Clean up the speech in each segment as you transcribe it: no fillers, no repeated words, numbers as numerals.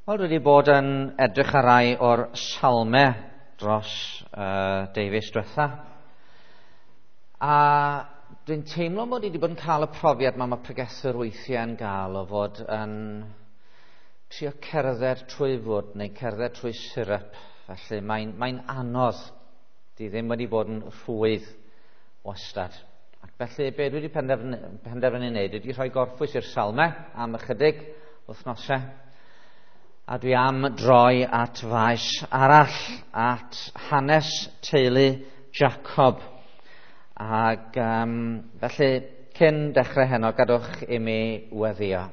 Wel, dwi wedi bod yn edrych ar rai o'r salmau dros deufis diwetha. A dwi'n teimlo mod i wedi bod yn cael y profiad ma mae pregethwyr weithiau yn gael o fod yn trio cerdded trwy fwd neu cerdded trwy syrup. Felly mae'n anodd. Di ddim wedi bod yn rhwydd wastad. Ac felly be dwi wedi penderfynu wneud ydy rhoi gorffwys i'r salmau am ychydig wythnosau. A dwi am droi at faes arall, at hanes teulu Jacob. Ac felly, cyn dechrau heno, gadwch i mi weddio.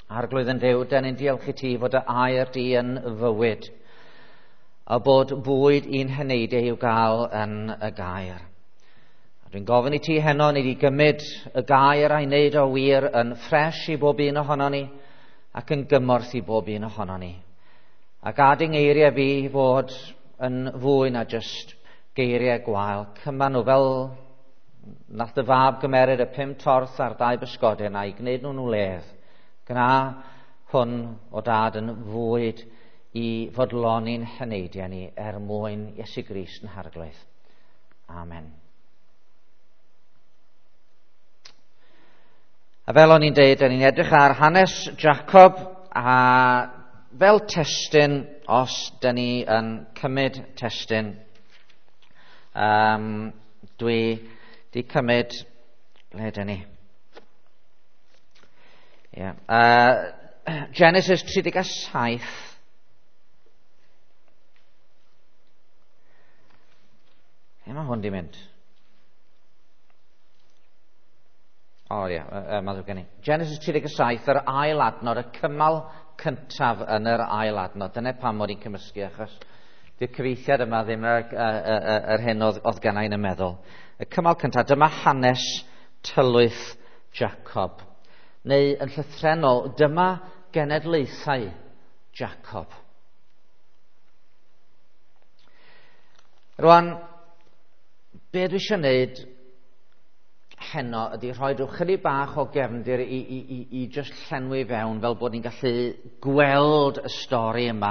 Arglwydd yn Duw, den ni'n diolch i ti fod y air di yn fywyd, a bod bwyd i'n heneidiau i'w gael yn y gair. A dwi'n gofyn i ti heno, ni di gymryd y gair a'i wneud o wir yn ffres i bob un ohono ni, ac yn gymorth i bob un ohono ni. A gad i'n ngeiriau fi fod yn fwy na jyst geiriau gwael. Cyma nhw fel nath y fab gymeryd y 5 torth a'r 2 bysgodyn a'i gwneud nhw'n wledd. Gwna hwn o dad yn fwyd i fodloni'n heneidiau ni er mwyn Iesu Grist yn Harglwydd. Amen. A fel o'n i'n deud, o'n i'n edrych ar hanes Jacob a fel testun, os dyn ni yn cymryd testun, dwi di cymryd, ble dyn ni? Yeah. Genesis 37. Lle mae hwn di mynd? O ie, mae'n ddrwg gen i. Genesis 37, yr ail adnod, y cymal cyntaf yn yr ail adnod. Dyna pam mod i'n cymysgu, achos dy'r cyfieithiad yma ddim yr hyn oedd genna i'n y meddwl. Y cymal cyntaf, dyma hanes tylwyth Jacob. Neu yn llythrennol, dyma genedlaethau Jacob. Rwan, be dwi eisiau gwneud heno ydy rhoi rhyw chydig bach o gefndir i just llenwi fewn fel bod ni'n gallu gweld y stori yma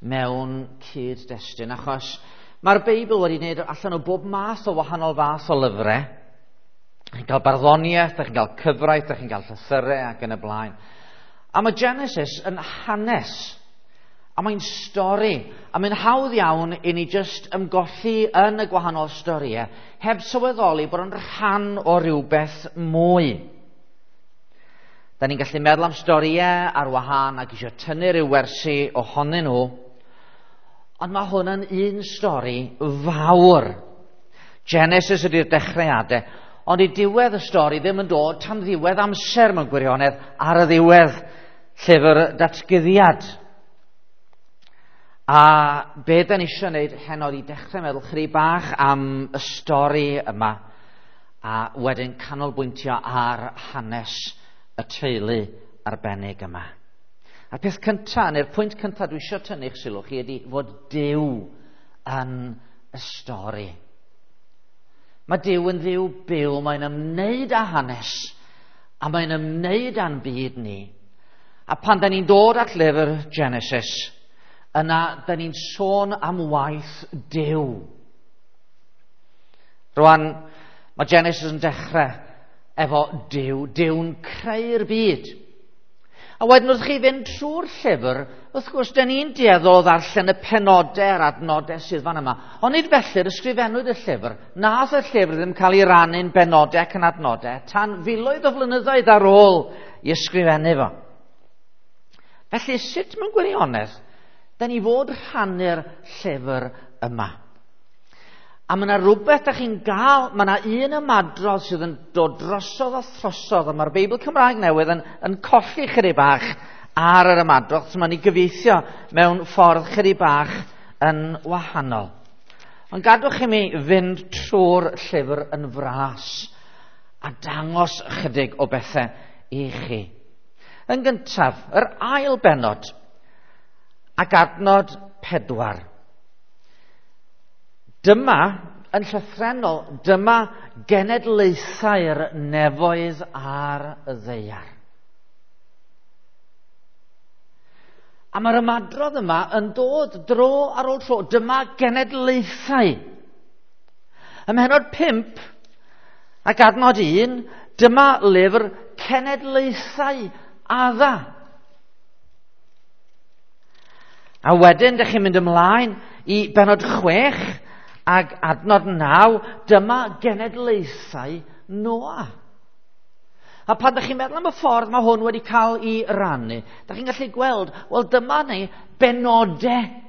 mewn cyd-destun, achos mae'r Beibl wedi gwneud allan o bob math o wahanol fath o lyfrau. Chi'n cael barddoniaeth, chi'n cael cyfraith, chi'n cael llythyrau ac yn y blaen. A mae Genesis yn hanes, a mae'n stori, a mae'n hawdd iawn i ni jyst ymgolli yn y gwahanol storïau, heb sylweddoli bod yn rhan o rywbeth mwy. Da ni'n gallu meddwl am storïau ar wahân ac eisiau tynnu rhyw wersi ohonyn nhw, ond mae hwn yn un stori fawr. Genesis ydy'r dechreuadau, ond i diwedd y stori ddim yn dod tan ddiwedd amser mewn gwirionedd ar y ddiwedd llyfr datguddiad. A be da ni eisiau gwneud heno i dechrau meddwl chydig bach am y stori yma a wedyn canolbwyntio ar hanes y teulu arbennig yma. A'r peth cyntaf, neu'r pwynt cyntaf dwi eisiau tynnu eich sylw chi ydy fod Duw yn y stori. Mae Duw yn Dduw byw, mae'n ymwneud â hanes a mae'n ymwneud â'n byd ni. A pan da ni'n dod at lyfr Genesis, yna, da ni'n sôn am waith Duw. Rwan, mae Genesis yn dechrau efo Duw. Duw'n creu'r byd. A wedyn wrth chi fynd trwy'r llyfr, wrth gwrs, da ni'n dueddol o ddarllen y penodau a'r adnodau sydd fan yma. Ond nid felly'r ysgrifennwyd y llyfr. Nath y llyfr ddim cael ei rannu'n benodau ac yn adnodau tan filoedd o flynyddoedd ar ôl i ysgrifennu fo. Felly, sut mewn gwirionedd da ni fod rhannu'r llyfr yma? A mae yna rhywbeth da chi'n gael, mae yna un ymadrodd sydd yn dod drosodd a throsodd, a mae'r Beibl Cymraeg Newydd yn colli chydig bach ar yr ymadrodd, so mae'n ei gyfieithio mewn ffordd chydig bach yn wahanol. Ond gadwch i mi fynd trwy'r llyfr yn fras a dangos chydig o bethau i chi. Yn gyntaf, yr ail bennod, ac adnod 4. Dyma, yn llythrennol, dyma genedlaethau'r nefoedd ar y ddaear. A mae'r ymadrodd yma yn dod dro ar ôl tro. Dyma genedlaethau. Ym mhennod 5 ac adnod 1, dyma lyfr cenedlaethau Adda. A wedyn, dych chi'n mynd ymlaen i bennod 6 ac adnod 9, dyma genedlaethau Noa. A pan ydych chi'n meddwl am y ffordd mae hwn wedi cael ei rannu, ydych chi'n gallu gweld, wel dyma ni benodau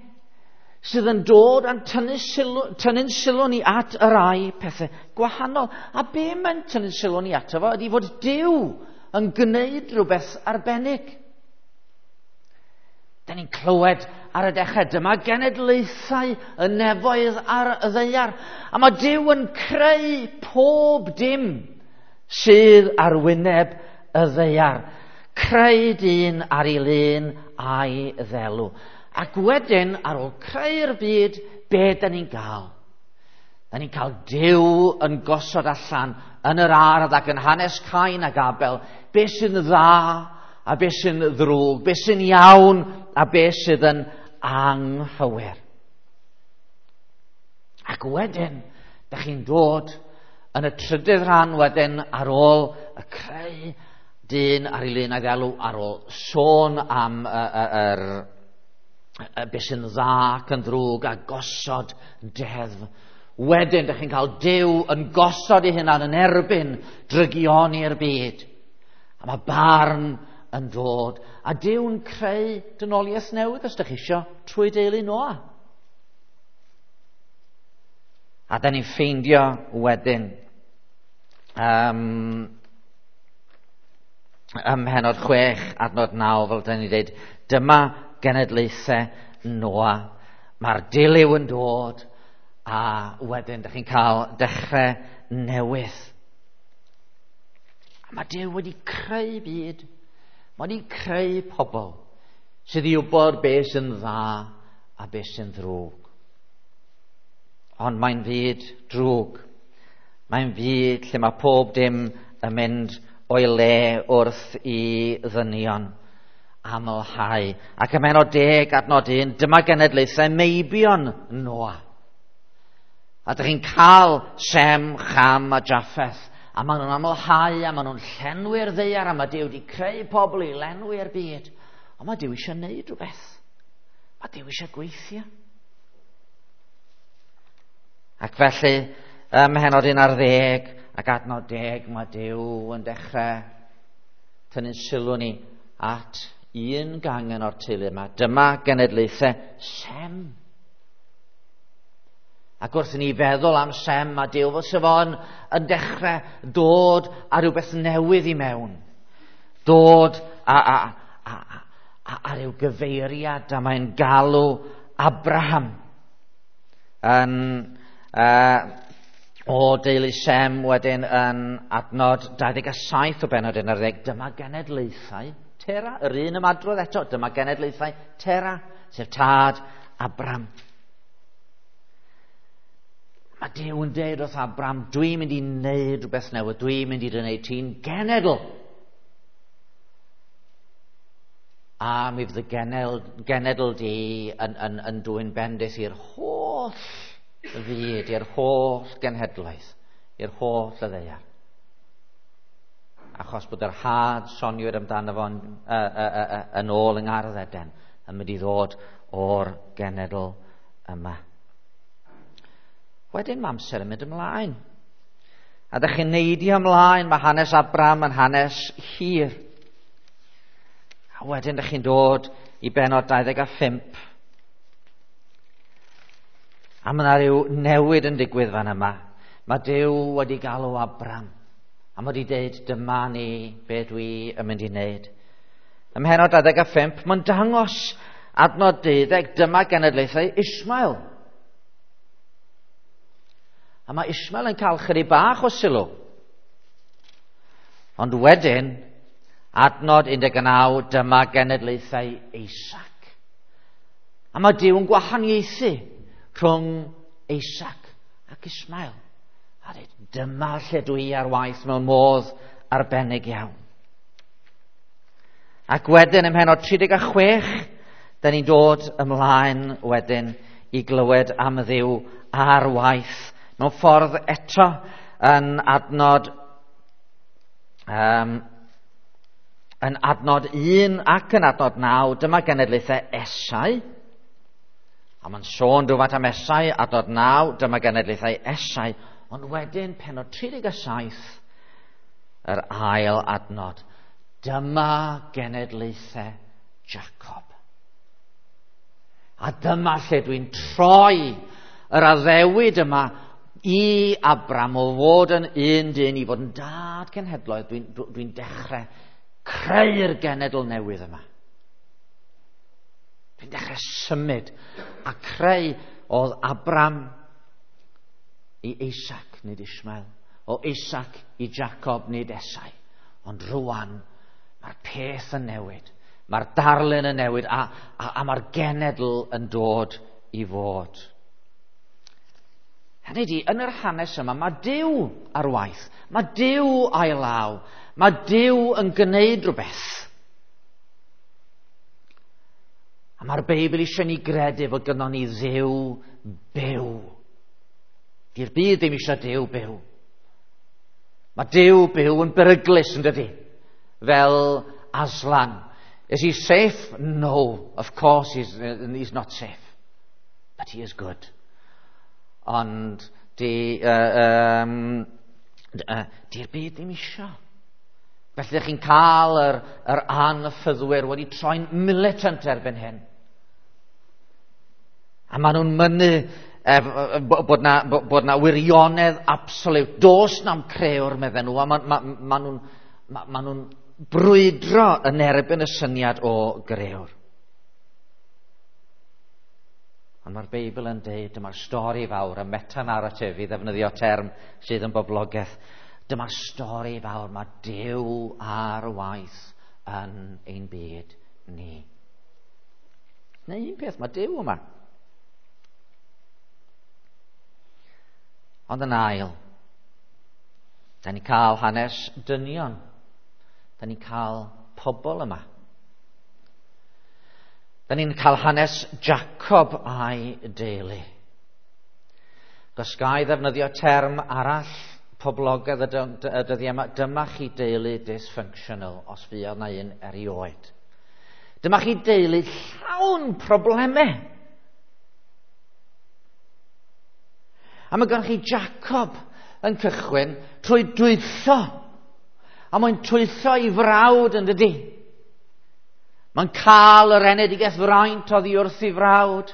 sydd yn dod a'n tynnu'n sylw ni at y rai pethau gwahanol. A be mae'n tynnu'n sylw ni ato fo ydy fod Duw yn gwneud rhywbeth arbennig. Da ni'n clywed ar y dechrau, dyma genedlaethau y nefoedd ar y ddaear. A mae Duw yn creu pob dim sydd ar wyneb y ddaear. Creu dyn ar ei lun a'i ddelw. Ac wedyn, ar ôl creu'r byd, be da ni'n gael? Da ni'n cael Duw yn gosod allan yn yr ardd ac yn hanes Cain ac Abel, be sy'n dda a be sy'n ddrwg, be sy'n iawn a be sydd yn anghywir. Ac wedyn, da chi'n dod yn y trydydd rhan wedyn ar ôl y creu dyn ar ei lun a'i ddelw, ar ôl sôn am be sy'n dda ac yn ddrwg a gosod deddf. Wedyn, dych chi'n cael Duw yn gosod ei hunan yn erbyn drygioni'r byd. A mae barn yn dod. A Duw'n creu dynoliaeth newydd, os dych chi isio, trwy deulu Noa. A da ni'n ffeindio wedyn ym mhennod 6, adnod 9, fel da ni'n dweud, dyma genedlaethau Noa. Mae'r dilyw yn dod, a wedyn dych chi'n cael dechrau newydd. A mae Duw wedi creu byd. Mae wedi creu pobl sydd i wybod beth sy'n dda a beth sy'n ddrwg. Ond mae'n fyd drwg. Mae'n fyd lle mae pob dim yn mynd o'i le wrth i ddynion amlhau. Ac ym mhennod 10 adnod 1, dyma genedlaethau meibion Noa. A dych chi'n cael Sem, Cham a Japheth. A maen nhw'n amlhau, a maen nhw'n llenwi'r ddaear, a mae Duw wedi creu pobl i lenwi'r byd. Ond mae Duw eisiau gwneud rhywbeth. Mae Duw eisiau gweithio. Ac felly, ym mhennod 11 ac adnod 10, mae Duw yn dechrau tynnu'n sylw ni at un gangen o'r teulu yma. Dyma genedlaethau Sem. Ac wrth i ni feddwl am Sem, mae Duw fel sef o'n yn dechrau dod â rhywbeth newydd i mewn. Dod a rhyw gyfeiriad, a mae'n galw Abraham yn o deulu Sem wedyn yn adnod 27 o bennod 11. Dyma genedlaethau Tera, yr un ymadrodd eto, dyma genedlaethau Tera, sef tad Abram. Mae Duw yn deud wrth Abram, dwi'n mynd i wneud rhywbeth newydd, dwi'n mynd i dy wneud ti'n genedl. A mi fydd y genedl di yn dwyn bendith i'r holl fyd, i'r holl genhedlaeth, i'r holl y ddaear. Achos bod yr had soniwyd amdano fo'n yn ôl yng Ngardd Eden yn mynd i ddod o'r genedl yma. Wedyn mae amser yn mynd ymlaen. A dych chi'n neidio ymlaen, mae hanes Abram yn hanes hir. A wedyn dych chi'n dod i bennod 25. A mae yna rhyw newid yn digwydd fan yma. Mae Duw wedi galw Abram. A mae wedi dweud, dyma ni be dwi yn mynd i wneud. Ym mhennod 25, mae'n dangos adnod 12, dyma genedlaethau Ismael. A mae Ismael yn cael chydig bach o sylw. Ond wedyn, adnod 19, dyma genedlaethau Isaac. A mae Duw yn gwahaniaethu rhwng Isaac ac Ismael. A dweud, dyma lle dwi ar waith mewn modd arbennig iawn. Ac wedyn ym mhennod 36, Da ni'n dod ymlaen wedyn i glywed am Dduw ar waith. Mewn ffordd eto yn adnod yn adnod 1 ac yn adnod 9, dyma genedlaethau Esau. A mae'n sôn rhywfaint am Esau, adnod 9, dyma genedlaethau Esau. Ond wedyn, pennod 37, yr ail adnod. Dyma genedlaethau Jacob. A dyma lle dwi'n troi yr addewid yma i Abram o fod yn un dyn i fod yn dad cenhedloedd. Dwi'n dechrau creu'r genedl newydd yma. Dwi'n dechrau symud a creu oedd Abram i Isaac, nid Ishmael. O Isaac i Jacob, nid Esau. Ond rwan, mae'r peth yn newid. Mae'r darlun yn newid a mae'r genedl yn dod i fod. Hynny ydi, yn yr hanes yma, mae Duw ar waith. Mae Duw a'i law. Mae Duw yn gwneud rhywbeth. A mae'r Beibl eisiau ni gredu fod gynnon ni Dduw byw. Di'r byd ddim eisiau Duw byw. Mae Duw byw yn beryglus, yn dydi? Fel Aslan. Is he safe? No, of course he's not safe. But he is good. Ond di'r byd ddim isio. Felly chi'n cael yr anffyddwyr wedi troi'n militant erbyn hyn. A maen nhw'n mynnu bod na wirionedd absolute. Does na'm crëwr, medden nhw. A maen nhw'n brwydro yn erbyn y syniad o grëwr. Ond mae'r Beibl yn deud, dyma'r stori fawr, y meta-narrative, i ddefnyddio term sydd yn boblogaeth. Dyma'r stori fawr, mae Duw ar waith yn ein byd ni. Neu un peth, mae Duw yma. Ond yn ail, da ni'n cael hanes dynion. Da ni'n cael pobl yma. Da ni'n cael hanes Jacob a'i deulu. Gos ga i ddefnyddio term arall poblogaidd y dyddiau yma, dyma chi deulu dysfunctional, os fuodd na un erioed. Dyma chi deulu llawn problemau. A mae gennych chi Jacob yn cychwyn trwy dwyllo. A mae'n twyllo i frawd, yn dydi? Mae'n cael yr enedigaeth fraint oddi wrth ei frawd.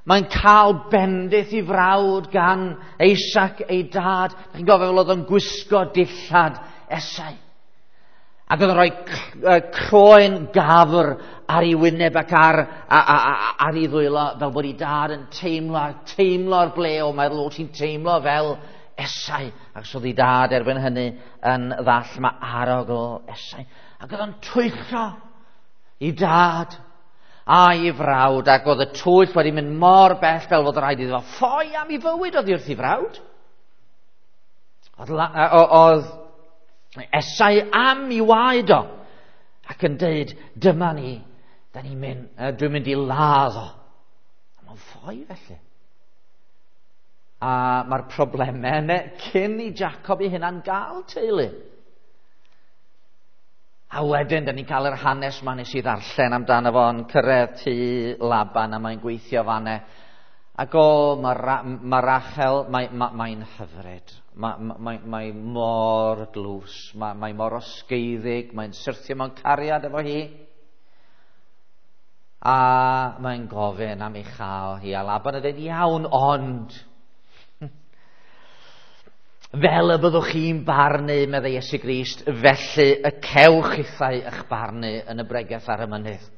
Mae'n cael bendith i frawd gan Isaac ei dad. Chi'n gofio fel oedd o'n gwisgo dillad Esau. Ac oedd o'n rhoi croen gafr ar ei wyneb ac ar ei ddwylo, fel bod ei dad yn teimlo'r ble o meddwl, o ti'n teimlo fel Esau. Ac so oedd ei dad erbyn hynny yn ddall, mae arogl Esau. Ac oedd o'n twyllo i dad a'i frawd, ac oedd y twyll wedi mynd mor bell fel fod rhaid iddo ffoi am ei fywyd oddi wrth ei frawd. Oedd Esau am ei waed o, ac yn deud, dyma ni, da ni'n mynd, dwi'n mynd i ladd o. A mae'n ffoi felly. A mae'r problemau yna cyn i Jacob ei hunan gael teulu. A wedyn, da ni'n cael yr hanes ma nes i ddarllen amdano fo yn cyrraedd tŷ Laban a mae'n gweithio fanne. Ac o, mae Rachel, mae'n hyfryd. Mae mor glws, mae mor osgeiddig, mae'n syrthio mewn cariad efo hi. A mae'n gofyn am ei chael hi. A Laban yn dweud, iawn, ond fel y byddwch chi'n barnu, meddai Iesu Grist, felly y cewch chithau eich barnu yn y bregeth ar y mynydd.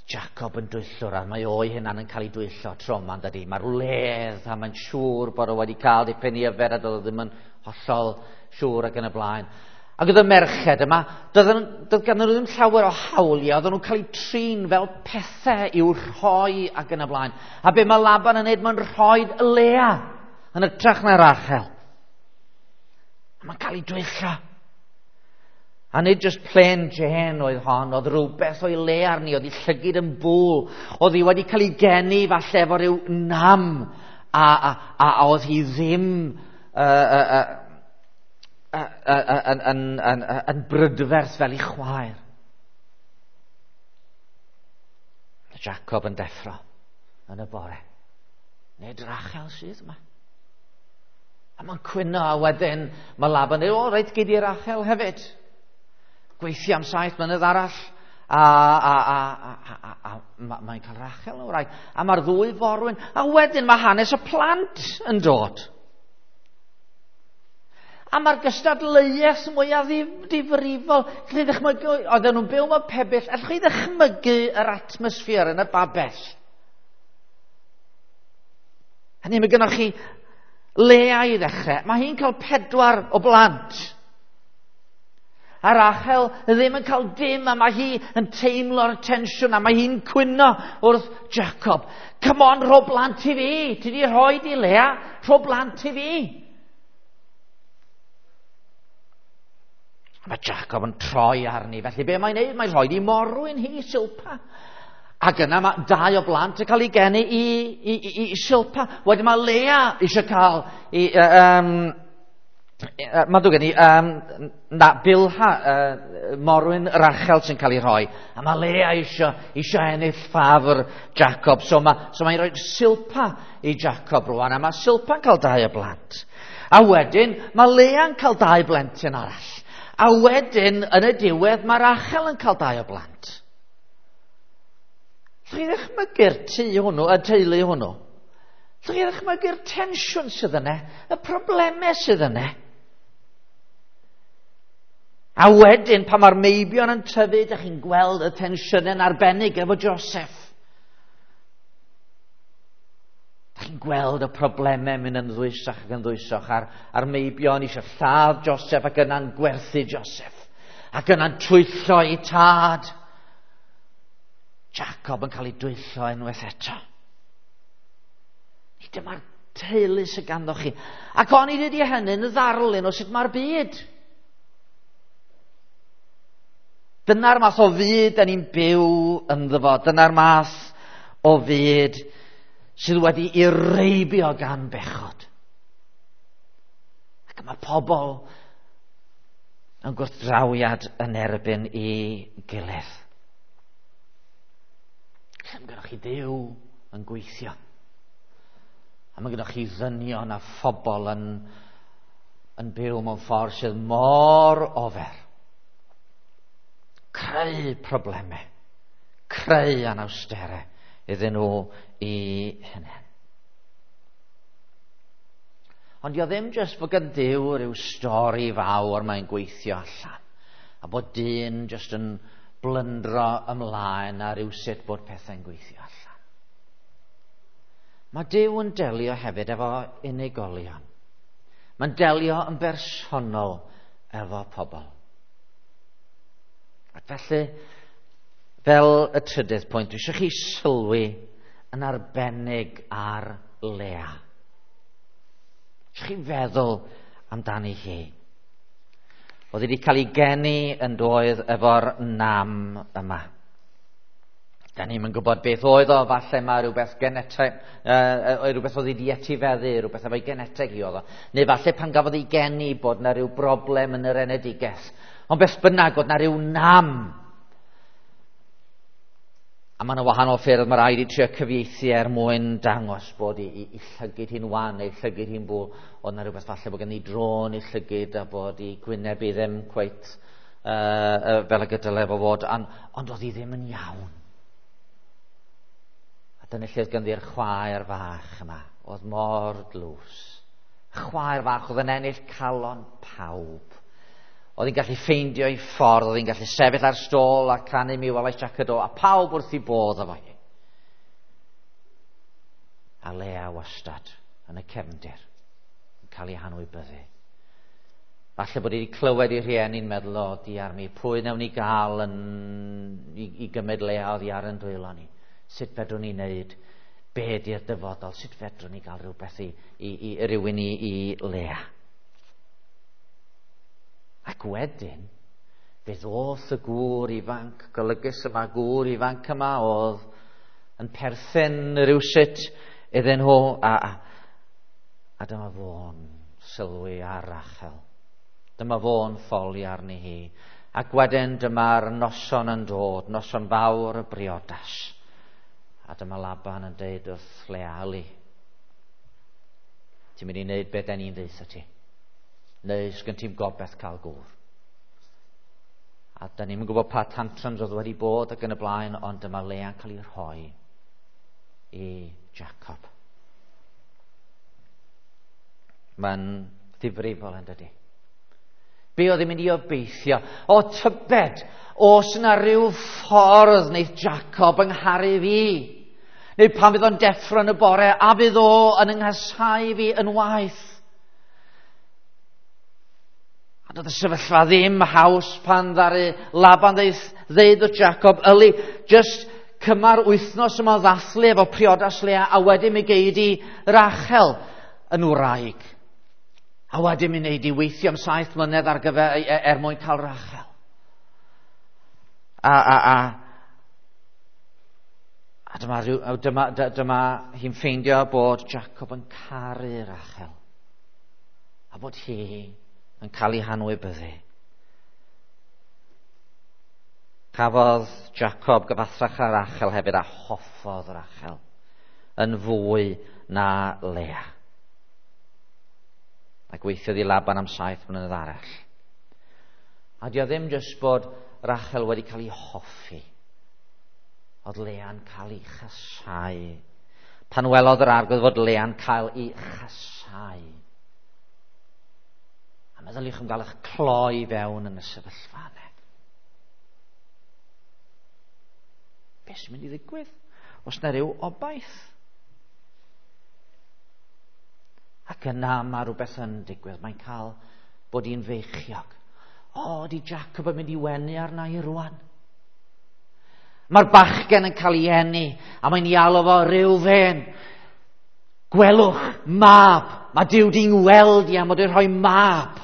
Jacob yn dwyllwr, a mae o'i hunan yn cael ei dwyllo tro yma, dydi. Mae'r wledd, a mae'n siŵr bod o wedi cael dipyn i yfed, a doedd o ddim yn hollol siŵr ac yn y blaen. Ac oedd y merched yma, doedd ganddyn nhw ddim llawer o hawliau, oedden nhw'n cael eu trin fel pethau i'w rhoi ac yn y blaen. A be mae Laban yn neud, mae'n rhoi Lea yn hytrach na Rachel. A mae'n cael ei dwyllo. A nid just plain Jane oedd hon, oedd rhywbeth o'i le arni, oedd ei llygyd yn bwl, oedd hi wedi cael ei geni falle efo rhyw nam, a oedd hi ddim yn brydferth fel ei chwaer. Jacob yn deffro yn y bore. Nid Rachel sydd yma. A mae'n cwyno, a wedyn mae Laban yn dweud, o reit, gei di Rachel hefyd. Gweithio am 7 mlynedd arall, a mae'n cael Rachel yn wraig. A mae'r ddwy forwyn, a wedyn mae hanes y plant yn dod. A mae'r gystadleuaeth mwyaf difrifol. Allwch chi ddychmygu, oedden nhw'n byw mewn pebyll, allwch chi ddychmygu yr atmosffer yn y babell. Hynny, mae gennych chi Lea i ddechrau. Mae hi'n cael 4 o blant. A Rachel ddim yn cael dim, a mae hi yn teimlo'r tensiwn, a mae hi'n cwyno wrth Jacob. Come on, rho blant i fi. Ti di rhoi di Lea, rho blant i fi. A mae Jacob yn troi arni. Felly be mae'n neud? Mae'n rhoi di morwyn hi, Silpa. Ac yna mae 2 o blant yn cael ei geni i Silpa. Wedyn mae Lea eisiau cael i... Mae'n ddrwg gen i, na, Bilha, morwyn Rachel sy'n cael ei rhoi. A mae Lea eisiau ennill ffafr Jacob. So mae'n rhoi Silpa i Jacob rwan. A mae Silpa'n cael 2 o blant. A wedyn mae Lea'n cael 2 blentyn arall. A wedyn, yn y diwedd, mae Rachel yn cael 2 o blant. Allwch chi ddychmygu'r tŷ hwnnw, y teulu hwnnw? Allwch chi ddychmygu'r tensiwn sydd yna, y problemau sydd yna? A wedyn, pan mae'r meibion yn tyfu, dych chi'n gweld y tensiynau'n arbennig efo Joseph. Dych chi'n gweld y problemau mynd yn ddwysach ac yn ddwysach, a'r meibion eisiau lladd Joseph ac yna'n gwerthu Joseph, ac yna'n twyllo ei tad. Jacob yn cael ei dwyllo unwaith eto. Nid dyma'r teulu sydd ganddo chi. Ac onid ydy hynny'n ddarlun o sut mae'r byd. Dyna'r math o fyd da ni'n byw ynddo fo. Dyna'r math o fyd sydd wedi ei reibio gan bechod. Ac mae pobl yn gwrthdrawiad yn erbyn i gilydd. Lle mae gennych chi Dduw yn gweithio. A mae gennych chi ddynion a phobl yn byw mewn ffordd sydd mor ofer. Creu problemau, creu anawsterau iddyn nhw i hunain. Ond dio ddim jyst fod gan Duw rhyw stori fawr mae'n gweithio allan, a bod dyn jyst yn blyndro ymlaen a rhyw sut bod pethau'n gweithio allan. Mae Duw yn delio hefyd efo unigolion. Mae'n delio yn bersonol efo pobl. Ac felly, fel y trydydd pwynt, dwi eisiau chi sylwi yn arbennig ar Lea. Eisiau chi feddwl amdani hi. Oedd wedi cael ei geni yn doedd efo'r nam yma. Da ni'm yn gwybod beth oedd o, falle mae rhywbeth geneteg, rhywbeth oedd wedi etifeddu, rhywbeth efo'i geneteg i oedd o. Neu falle pan gafodd ei geni bod na rhyw broblem yn yr enedigaeth. Ond beth bynnag, oedd na rhyw nam. A mae yna wahanol ffyrdd mae rhaid i trio cyfieithu er mwyn dangos bod i llygyd hi'n wan neu llygyd hi'n bwl. Oedd na rhywbeth falle bod gen i drôn i llygyd a bod i gwyneb i ddim cweit fel y gydyle fo fod. Ond oedd hi ddim yn iawn. A dyna lle oedd ganddi'r chwaer fach yma. Oedd mor dlws. Chwaer fach oedd yn ennill calon pawb. Oedd hi'n gallu ffeindio ei ffordd, oedd hi'n gallu sefyll ar stôl a canu Mi Welais Jac y Do, a pawb wrth ei bodd efo hi. A Lea wastad yn y cefndir, yn cael ei hanwybyddu. Falle bod hi wedi clywed ei rhieni'n meddwl, o, diar mi, pwy wnawn ni gael i gymryd Lea oddi ar yn dwylo ni? Sut fedrwn ni wneud? Be di'r dyfodol? Sut fedrwn ni gael rhywbeth i rywun i Lea? Ac wedyn, Fe ddoth y gŵr ifanc golygus yma, gŵr ifanc yma oedd yn perthyn rhywsut iddyn nhw, a dyma fo'n sylwi ar Rachel. Dyma fo'n ffoli arni hi. Ac wedyn dyma'r noson yn dod, noson fawr y briodas. A dyma Laban yn deud wrth Lea, "Yli, ti'n mynd i wneud beth den ni'n ddeutha ti. Neu sgyn ti'm gobeith cael gŵr." A da ni'n gwybod pa tantrums oedd wedi bod ac yn y blaen, ond dyma Lea'n cael ei rhoi i Jacob. Mae'n ddifrifol yn dydy. Be oedd yn mynd i obeithio? O tybed, oes yna rhyw ffordd wneith Jacob yng ngharu fi? Neu pan fydd o'n deffro yn y bore, a fydd o yn yng nghasau fi yn waeth? A doedd y sefyllfa ddim haws pan ddaru Laban ddeud wrth Jacob, "Yli, just cymar wythnos yma o ddathlu efo priodas Lea, a wedyn mi gei di Rachel yn wraig. A wedyn mi wneud i weithio am 7 mlynedd ar gyfer, er mwyn cael Rachel." A dyma hi'n ffeindio bod Jacob yn caru Rachel. A bod hi yn cael ei hanwybyddu. Cafodd Jacob gyfathrach â Rachel hefyd, a hoffodd Rachel yn fwy na Lea. A gweithiodd i Laban am 7 mlynedd arall. A di o ddim jyst bod Rachel wedi cael ei hoffi. Oedd Lea'n cael ei chasau. Pan welodd yr Arglwydd fod Lea'n cael ei chasau. A meddyliwch am gael eich cloi fewn yn y sefyllfa yna. Beth sy'n mynd i ddigwydd? Oes na ryw obaith? Ac yna mae rhywbeth yn digwydd. Mae'n cael bod hi'n feichiog. O, di Jacob yn mynd i wenu arna i rwan. Mae'r bachgen yn cael ei eni, a mae'n ei alw fo Reuben. Gwelwch, mab. Mae Duw di'n weld i am fod yn rhoi mab.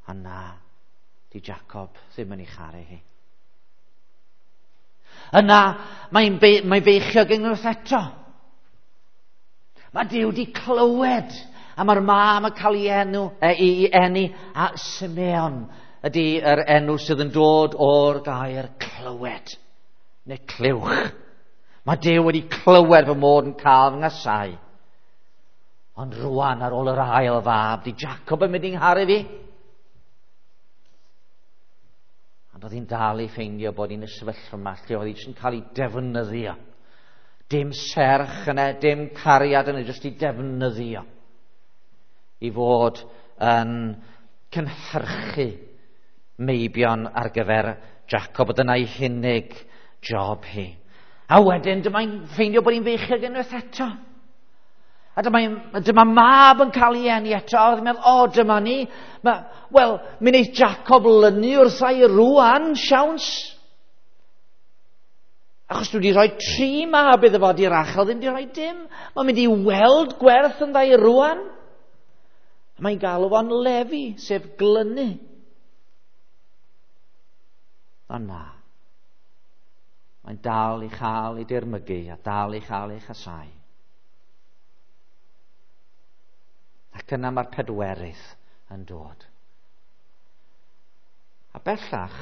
A na, di Jacob ddim yn ei charu hi. Yna, mae'n mae beichiog unwaith eto. Mae Duw di clywed, a mae'r mam yn cael ei enw, ei eni, a Simeon ydy yr enw sydd yn dod o'r gair clywed, neu clywch. Mae Duw wedi clywed fy mod yn cael fy nghasau. Ond rwan ar ôl yr ail fab, di Jacob yn mynd i'n ngharu fi? Ond oedd hi'n dal i ffeindio bod hi'n y sefyllfa yma lle oedd hi jyst yn cael ei defnyddio. Dim serch yna, dim cariad yna, jyst i defnyddio. I fod yn cynhyrchu meibion ar gyfer Jacob. Dyna'i hunig job hi. A wedyn dyma'n ffeindio bod hi'n feichiog unwaith eto. A dyma mab yn cael ei eni eto. A oedd hi'n meddwl, o, dyma ni. Wel, mi wneith Jacob lynu wrtha i rwan, siawns. Achos dwi wedi rhoi 3 mab iddo fo, di Rachel ddim wedi rhoi dim. Mae'n mynd i weld gwerth yn dda i rwan. A mae'n galw fo'n Lefi, sef glynu. Ond na. Mae'n dal i chael ei dirmygu a dal i chael ei chasau. Ac yna mae'r pedwerydd yn dod. A bellach,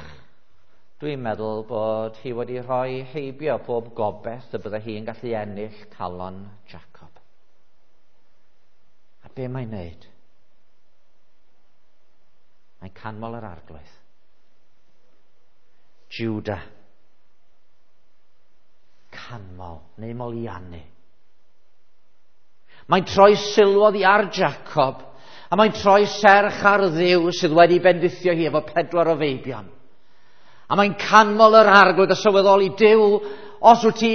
dwi'n meddwl bod hi wedi rhoi heibio pob gobaith y bydde hi'n gallu ennill calon Jacob. A be mae'n wneud? Mae'n canmol yr Arglwydd. Judah. Canmol neu moliannu. Mae'n troi sylwodd i ar Jacob, a mae'n troi serch ar Dduw sydd wedi bendithio hi efo 4 o feibion. A mae'n canmol yr Arglwydd a sylweddoli, Duw, os wyt ti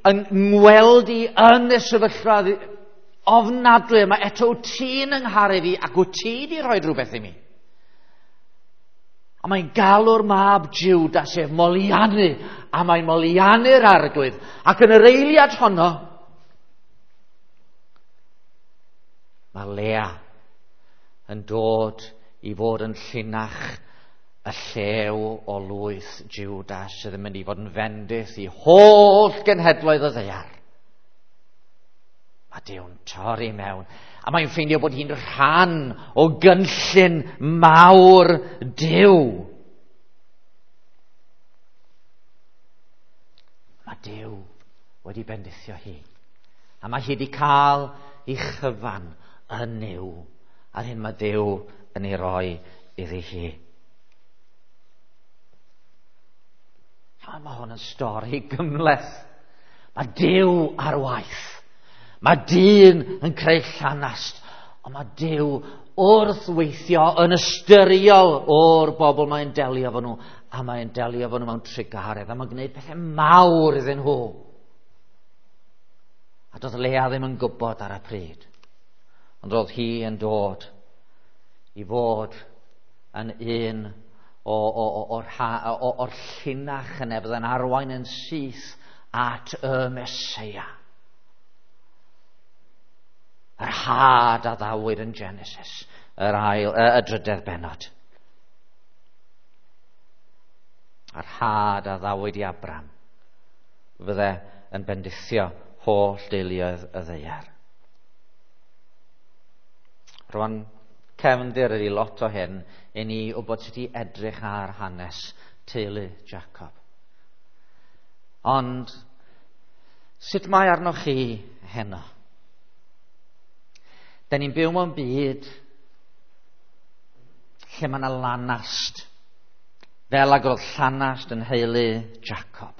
yn ngweld i yn y sefyllfa ofnadwy yma, eto wyt ti'n yngharu fi ac wyt ti di rhoi rhywbeth i mi. A mae'n galw'r mab Judah, sef moliannu, a mae'n moliannu'r Arglwydd. Ac yn yr eiliad honno, mae Lea yn dod i fod yn llinach y llew o lwyth Juda sydd yn mynd i fod yn fendith i holl genhedloedd y ddaear. Mae Duw'n torri mewn. A mae'n ffeindio bod hi'n rhan o gynllun mawr Duw. Mae Duw wedi bendithio hi. A mae hi wedi cael ei chyfan yn Nuw. A'r hyn mae Duw yn ei roi iddi hi. A mae hwn yn stori gymhleth. Mae Duw ar waith. Mae dyn yn creu llanast. Ond mae Duw wrth weithio yn ystyriol o'r bobl mae'n delio efo nhw. A mae'n delio efo nhw mewn trugaredd. A mae'n gwneud pethau mawr iddyn nhw. A doedd Lea ddim yn gwybod ar y pryd. Ond roedd hi yn dod i fod yn un o'r llinach yna fydd yn arwain yn syth at y Meseia. Yr had a ddawyd yn Genesis, y drydedd bennod. Yr had a ddawyd i Abram fydde yn bendithio holl deuluoedd y ddaear. Rwan, cefndir ydi lot o hyn i ni wybod sut i edrych ar hanes teulu Jacob. Ond sut mae arnoch chi heno? Da ni'n byw mewn byd lle mae yna lanast, fel ag oedd llanast yn heulu Jacob.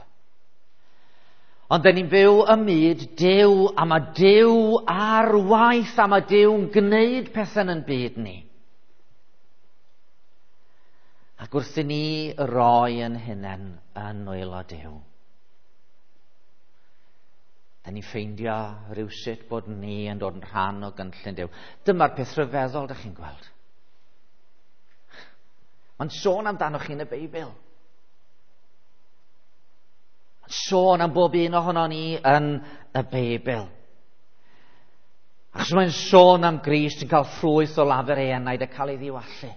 Ond da ni'n byw ym myd Duw, a mae Duw ar waith, a mae Duw'n gwneud pethau yn byd ni. Ac wrth i ni roi yn hunain yn nwylo Duw, da ni'n ffeindio rhywsut bod ni yn dod yn rhan o gynllun Duw. Dyma'r peth rhyfeddol, da chi'n gweld. Mae'n sôn amdanoch chi yn y Beibl. Mae'n sôn am bob un ohono ni yn y Beibl. Achos mae'n sôn am Grist yn cael ffrwyth o lafur ei enaid a cael ei ddiwallu.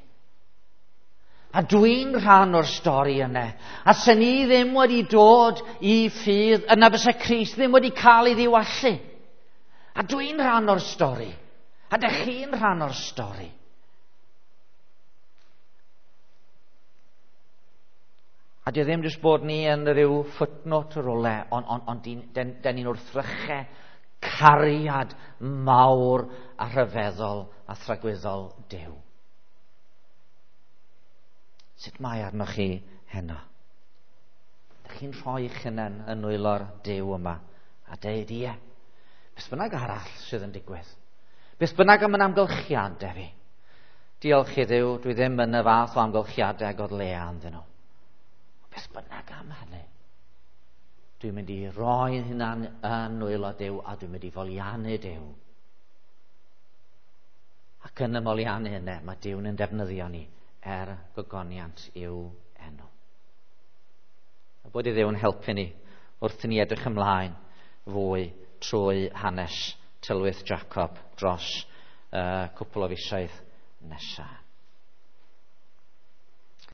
A dwi'n rhan o'r stori yna. A sen ni ddim wedi dod i ffydd, yna fysa Crist ddim wedi cael ei ddiwallu. A dwi'n rhan o'r stori. A dych chi'n rhan o'r stori. A di ddim jyst bod ni yn rhyw footnote rwle, ond den ni'n wrthrychau cariad mawr a rhyfeddol a thragwyddol Duw. Sut mae arnoch chi heno? Dych chi'n rhoi eich hunain yn nwylo'r Duw yma a deud ie. Beth bynnag arall sydd yn digwydd. Beth bynnag am yn amgylchiadau fi. Diolch i Dduw, dwi ddim yn y fath o amgylchiadau ag oedd Lea ynddyn nhw. Beth bynnag am hynny. Dwi'n mynd i roi'n hunan yn nwylo Duw a dwi'n mynd i foliannu Duw. Ac yn y moliannu hynny, mae Duw'n yn defnyddio ni er gogoniant i'w enw. A bod i Dduw'n helpu ni wrth i ni edrych ymlaen fwy trwy hanes tylwyth Jacob dros cwpl o fisoedd nesaf.